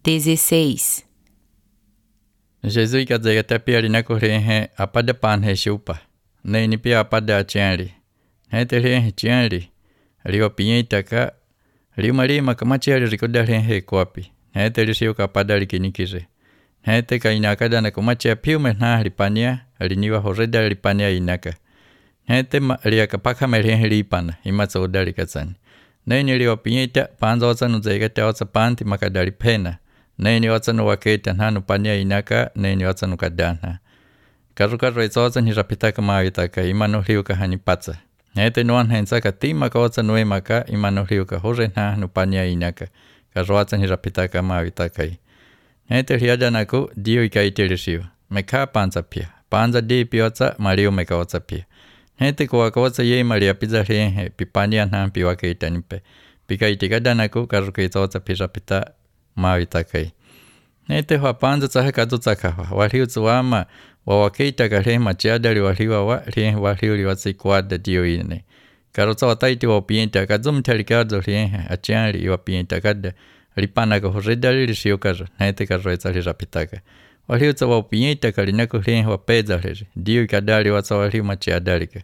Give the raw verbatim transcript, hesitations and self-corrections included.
dezesseis. Jesus ikadzega tapia rinakurehe apada panhe chupa. Nei ni pia apada achenri. Hetere chenri. Rio pinyeitaka. Rio marima kamacheri rikodarehe kopi. Hetere siu kapada rikinikire. Hete ka inaka na kumachia piume na ripania. Riniwa horeda ripania inaka. Hete ria kapaka merehe ripana. Imatsa udari katsani. Nei ni rio pinyeita panza otsa nuzega te otsa panti makadari pena. Nei ni otsa nuwaketa nanu pania inaka, nei ni otsa nukadana. Karukaru etsa otsa ni rapitaka maavitaka, imanu riuka hanipatsa. Hete nuan hensaka timaka otsa nuemaka, imanu riuka hore nanu pania inaka. Karu otsa ni rapitaka maavitaka. Hete riadanaku, dio ikaitirisiu. Meka panza pia. Panza di piotsa, mariu meka otsa pia. Hete kuwaka otsa ye maria pizza rehe, pipania nan piwaketa nipe. Pika itikadanaku, karuka etsa otsa pirapita maavitakai. Nete hua panza tsaha kadu tsakawa. Wariu tsuwama wawakeita ka rehe machiadari wariwa wa rehe wariu liwatsi kuada dio ine. Karo tsa wataiti wapienta kadzum tarikado rehe achiari iwapienta kada ripana ka horredari risio karo. Nete karo etsa rirapitaka. Wariu tsa wapienta ka rinaku rehe wapedza rehe. Dio ikadari watsa wariu machiadari ka.